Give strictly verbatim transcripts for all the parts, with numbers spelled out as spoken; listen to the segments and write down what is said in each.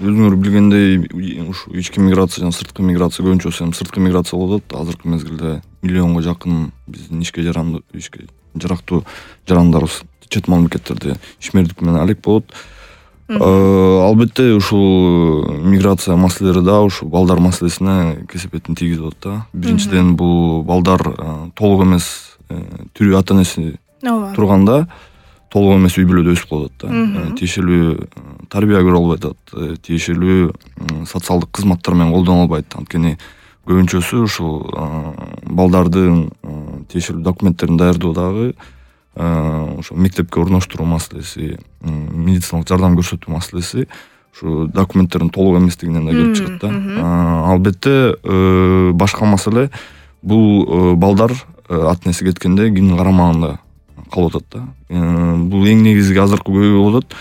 өзүңөр билгендей ушу ички миграция жана сырткы миграция көбүнчөсү эми сырткы миграция болуп атат. Азыркы мезгилде миллионго жакын биздин ишке жарандуу ишке жарактуу жарандарыбыз чет мамлекеттерде ишмердик менен алек болот. Албетте ушул миграция маселелери да ушу балдар маселесине кесепетин тийгизип атат да. Биринчиден бул балдар толук эмес тирүү ата энеси турганда толук эмес үй бүлөдө өсүп калат да. Тиешелүү тарбия көрө албай атат, тиешелүү социалдык кызматтар менен колдоно албайт. Анткени көбүнчөсү ушул балдардын тиешелүү документтерин даярдоо дагы ошо мектепке орноштуруу маселеси, медициналык жардам көрсөтүү маселеси ушу документтердин толук эместигинен да келип чыгат да. Албетте башка маселе бул балдар ата энеси кеткенде кимдин карамагында калып атат да. Бул эң негизги азыркы көйгөй болуп атат.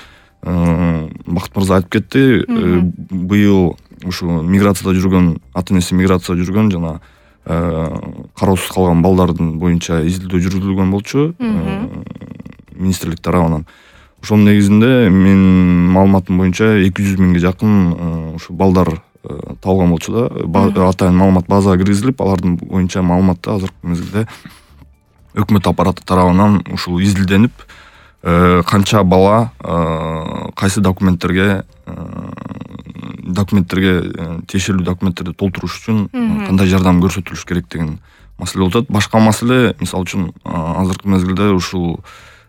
Бакыт мырза айтып кетти, быйыл ушу миграцияда жүргөн, ата энеси миграцияда жүргөн жана кароосуз калган балдардын боюнча изилдөө жүргүзүлгөн болчу министрлик тарабынан. Ошонун негизинде менин маалыматым боюнча эки жүз миңге жакын ушу балдар табылган болчу да. Атайын маалымат базага киргизилип, алардын боюнча маалыматты азыркы мезгилде өкмөт аппараты тарабынан ушул изилденип, канча бала кайсы документтерге документтерге тиешелүү документтерди толтуруш үчүн кандай жардам көрсөтүлүш керек деген маселе болуп атат. Башка маселе, мисалы үчүн азыркы мезгилде ушул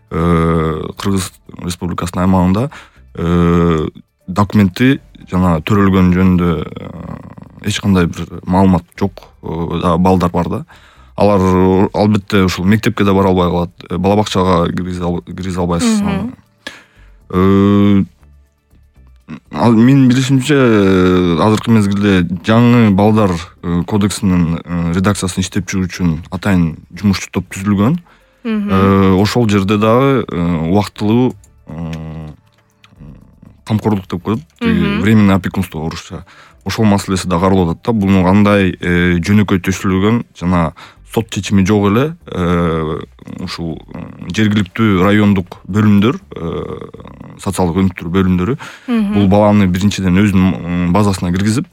Кыргыз Республикасынын аймагында документи жана төрөлгөн жөнүндө эч кандай бир маалымат жок балдар бар да. Алар албетте ушул мектепке да бара албай калат, бала бакчага киргизе албайсыз. Менин билишимче азыркы мезгилде жаңы балдар кодексинин редакциясын иштеп чыгуу үчүн атайын жумушчу топ түзүлгөн. Ошол жерде дагы убактылуу камкорлук деп коет, временное опекунство орусча. Ошол маселеси да каралып атат да. Буну кандай жөнөкөй төшүлгөн жана сот чечими жок эле ушул жергиликтүү райондук бөлүмдөр, социалдык өнүктүрүү бөлүмдөрү бул баланы биринчиден өзүнүн базасына киргизип,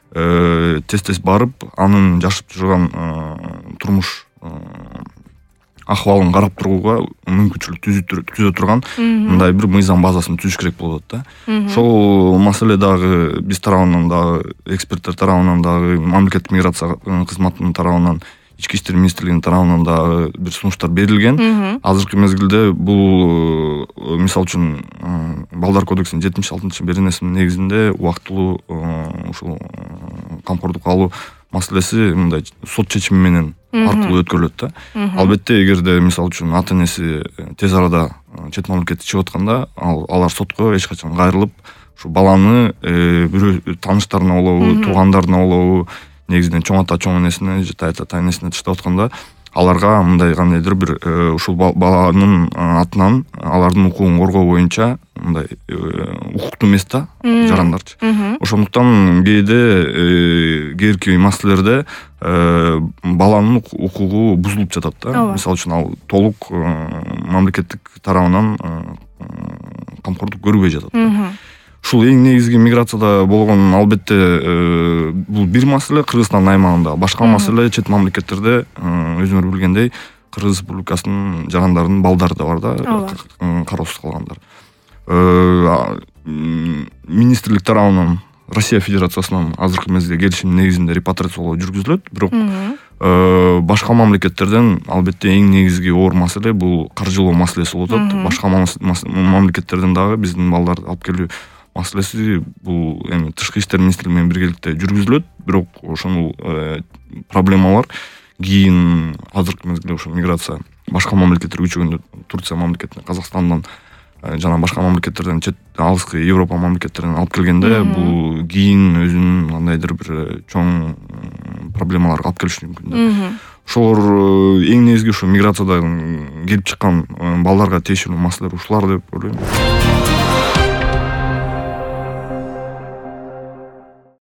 тез-тез барып, анын жашап жүргөн турмуш акыбалын карап турууга мүмкүнчүлүк түзө турган мындай бир мыйзам базасын түзүш керек болот да. Ошол маселе дагы биз тарабынан дагы, эксперттер тарабынан дагы, мамлекеттик миграция кызматынын тарабынан, ички иштер министрлигинин тарабынан дагы бир сунуштар берилген. Азыркы мезгилде бул мисалы үчүн балдар кодексинин жетимиш алтынчы беренесинин негизинде убактылуу ушул камкордук алуу маселеси мындай сот чечими менен аркылуу өткөрүлөт да. Албетте эгерде мисалы үчүн ата энеси тез арада чет мамлекетке чыгып атканда, алар сотко эч качан кайрылып, ушу баланы бирөө тааныштарына болобу, туугандарына болобу, негизинен чоң ата чоң энесине же тайта ата энесине таштап атканда, аларга мындай кандайдыр бир ушул баланын атынан алардын укугун коргоо боюнча мындай укуктуу эмес да жарандарчы. Ошондуктан кээде кээрки маселелерде баланын укугу бузулуп жатат да. Мисалы үчүн ал толук мамлекеттик тарабынан камкордук көрбөй жатат. Ушул эң негизги миграцияда болгон албетте бул бир маселе Кыргызстандын аймагында. Башка маселе чет мамлекеттерде өзүңөр билгендей Кыргыз Республикасынын жарандарынын балдары да бар да, кароосуз калгандар. Министрлик тарабынан Россия Федерациясынан азыркы мезгилде келишим негизинде репатриациялоо жүргүзүлөт, бирок башка мамлекеттерден албетте эң негизги оор маселе бул каржылоо маселеси болуп атат. Башка мамлекеттерден дагы биздин балдарды алып келүү маселеси бул эми тышкы иштер министрлиги менен биргеликте жүргүзүлөт, бирок ошол проблемалар кийин азыркы мезгилде ошо миграция башка мамлекеттерге көчкөндө, Турция мамлекетине, Казакстандан жана башка мамлекеттерден, чет алыскы Европа мамлекеттеринен алып келгенде, бул кийин өзүнүн кандайдыр бир чоң проблемаларга алып келиши мүмкүн да. Ошолор эң негизги ушу миграцияда келип чыккан балдарга тиешелүү маселелер ушулар деп ойлойм.